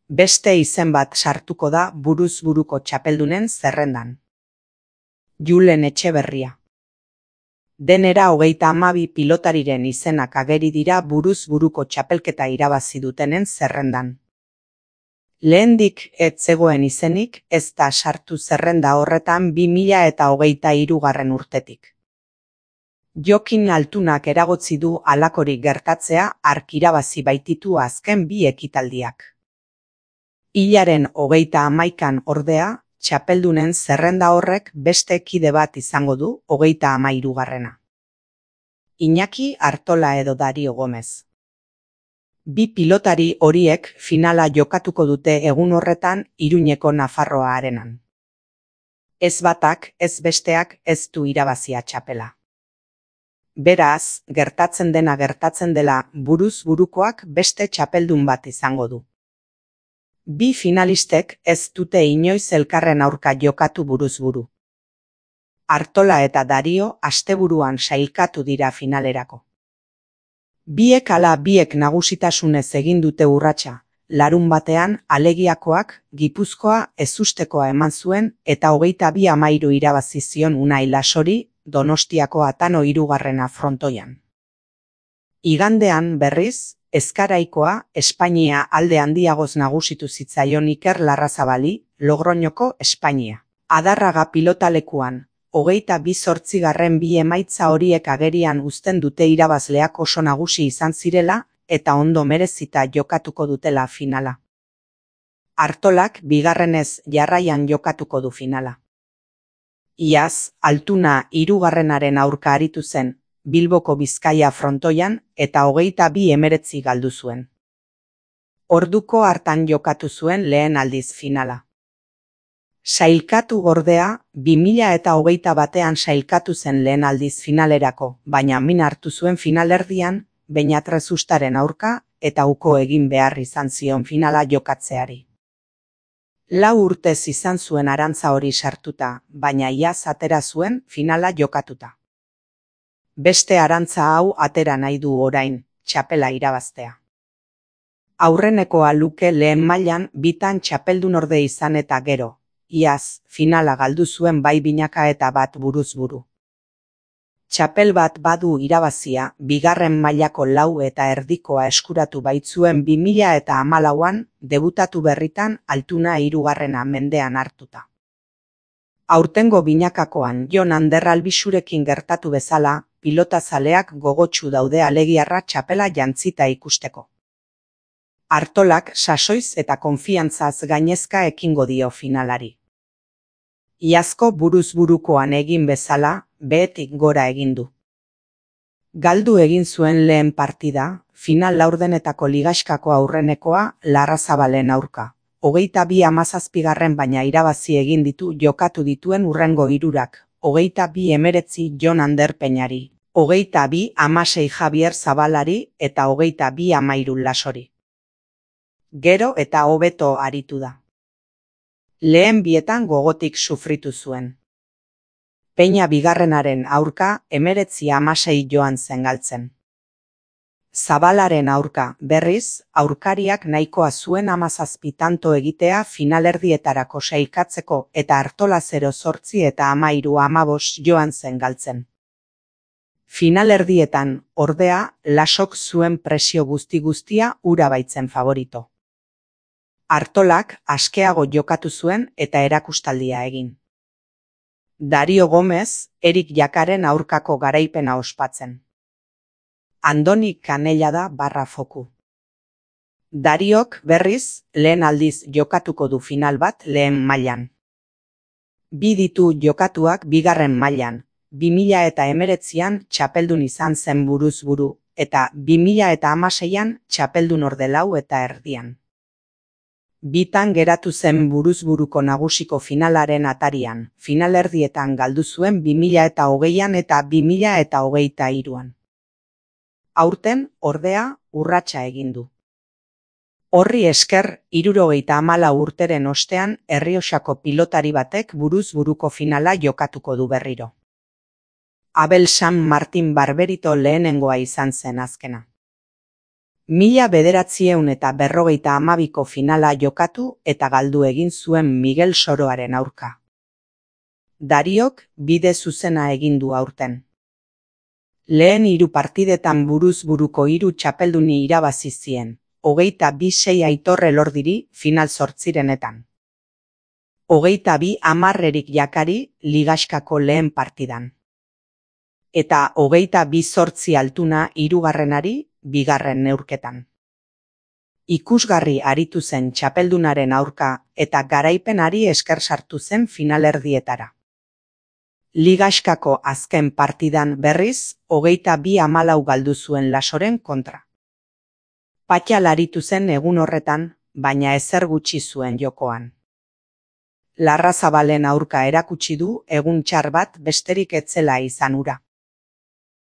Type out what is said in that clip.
Beste izen bat sartuko da buruz buruko txapeldunen zerrendan. Julen Etxeberria. Denera 32 pilotariren izenak ageri dira buruz buruko txapelketa irabazi dutenen zerrendan. Lehendik ez zegoen izenik ez da sartu zerrenda horretan 2023 urtetik. Jokin Altunak eragotzi du halakorik gertatzea hark irabazi baititu azken bi ekitaldiak. Hilaren 31an ordea, txapeldunen zerrenda horrek beste kide bat izango du 33garrena. Iñaki Artola edo Dario Gomez. Bi pilotari horiek finala jokatuko dute egun horretan Iruñeko Nafarroa Arenan. Ez batak, ez besteak ez du irabazia txapela. Beraz, gertatzen dena gertatzen dela buruz burukoak beste txapeldun bat izango du. Bi finalistek ez dute inoiz elkarren aurka jokatu buruz buru. Artola eta Dario asteburuan sailkatu dira finalerako. Biek ala biek nagusitasunez egin dute urratsa, larunbatean Alegiakoak Gipuzkoa ezustekoa eman zuen eta 22-13 irabazi zion Unai Lasori Donostiako Atano 3. frontoian. Igandean berriz, Ezkaraikoa Espainia alde handiagoz nagusitu zitzaion Iker Larrazabali, Logroñoko Espainia. Adarraga pilotalekuan, 28. bi emaitza horiek agerian uzten dute irabazleak oso nagusi izan zirela eta ondo merezita jokatuko dutela finala. Artolak bigarrenez jarraian jokatuko du finala. Iaz, Altuna 3. aurka aritu zen, Bilboko Bizkaia frontoian eta 22-19 galdu zuen. Orduko hartan jokatu zuen lehen aldiz finala. Sailkatu ordea, 2021 sailkatu zen lehen aldiz finalerako, baina min hartu zuen finalerdian, Beñatrezustaren aurka eta uko egin behar izan zion finala jokatzeari. 4 urtez izan zuen arantza hori sartuta, baina iaz atera zuen finala jokatuta. Beste arantza hau atera nahi du orain, txapela irabaztea. Aurrenekoa luke lehen mailan bitan txapeldunorde izan eta gero, iaz, finala galdu zuen bai binaka eta bat buruz buru. Txapel bat badu irabazia, bigarren mailako 4 eta erdikoa eskuratu baitzuen 2014an debutatu berritan Altuna 3. mendean hartuta. Aurtengo binakakoan Jon Ander Albixurekin gertatu bezala, pilotazaleak gogotsu daude alegiarra txapela jantzita ikusteko. Artolak sasoiz eta konfiantzaz gainezka ekingo dio finalari. Iazko buruz burukoan egin bezala, behetik gora egin du. Galdu egin zuen lehen partida, final laurdenetako ligaxkako aurrenekoa Larrazabalen aurka. 22-17 baina irabazi egin ditu jokatu dituen hurrengo hirurak, 22-19 Jon Ander Peñari, 22-16 Javier Zabalari eta 22-13 Lasori. Gero eta hobeto aritu da. Lehen bietan gogotik sufritu zuen. Peña bigarrenaren aurka 19-16 joan zen galtzen. Zabalaren aurka, berriz, aurkariak nahikoa zuen 17 tanto egitea finalerdietarako sailkatzeko eta Artola 0-8 eta 13-15 joan zen galtzen. Finalerdietan, ordea, Lasok zuen presio guzti-guztia ura baitzen favorito. Artolak askeago jokatu zuen eta erakustaldia egin. Dario Gomez, Erik Jakaren aurkako garaipena ospatzen. Andoni Canellada barra foku. Dariok, berriz, lehen aldiz jokatuko du final bat lehen mailan. Bi ditu jokatuak bigarren mailan, 2019an txapeldun izan zen buruz buru, eta 2016an txapeldun orde 4 eta erdian. Bitan geratu zen buruz buruko nagusiko finalaren atarian, finalerdietan galdu zuen 2020an eta 2023an. Aurten, ordea, urratsa egin du. Horri esker, 74 urteren ostean Errioxako pilotari batek buruz buruko finala jokatuko du berriro. Abel San Martin Barberito lehenengoa izan zen azkena. 1952ko finala jokatu eta galdu egin zuen Miguel Soroaren aurka. Dariok bide zuzena egin du aurten. Lehen 3 partidetan buruz buruko 3 txapelduni irabazi zien, 22-6 Aitor Elordiri final 8renetan. 22-10 Jakari ligaxkako lehen partidan. Eta 22-8 Altuna 3. bigarren neurketan. Ikusgarri aritu zen txapeldunaren aurka eta garaipenari esker sartu zen finalerdietara. Ligaxkako azken partidan berriz 22-14 galdu zuen Lasoren kontra. Patxal aritu zen egun horretan, baina ezer gutxi zuen jokoan. Larrazabalen aurka erakutsi du egun txar bat besterik etzela izan hura.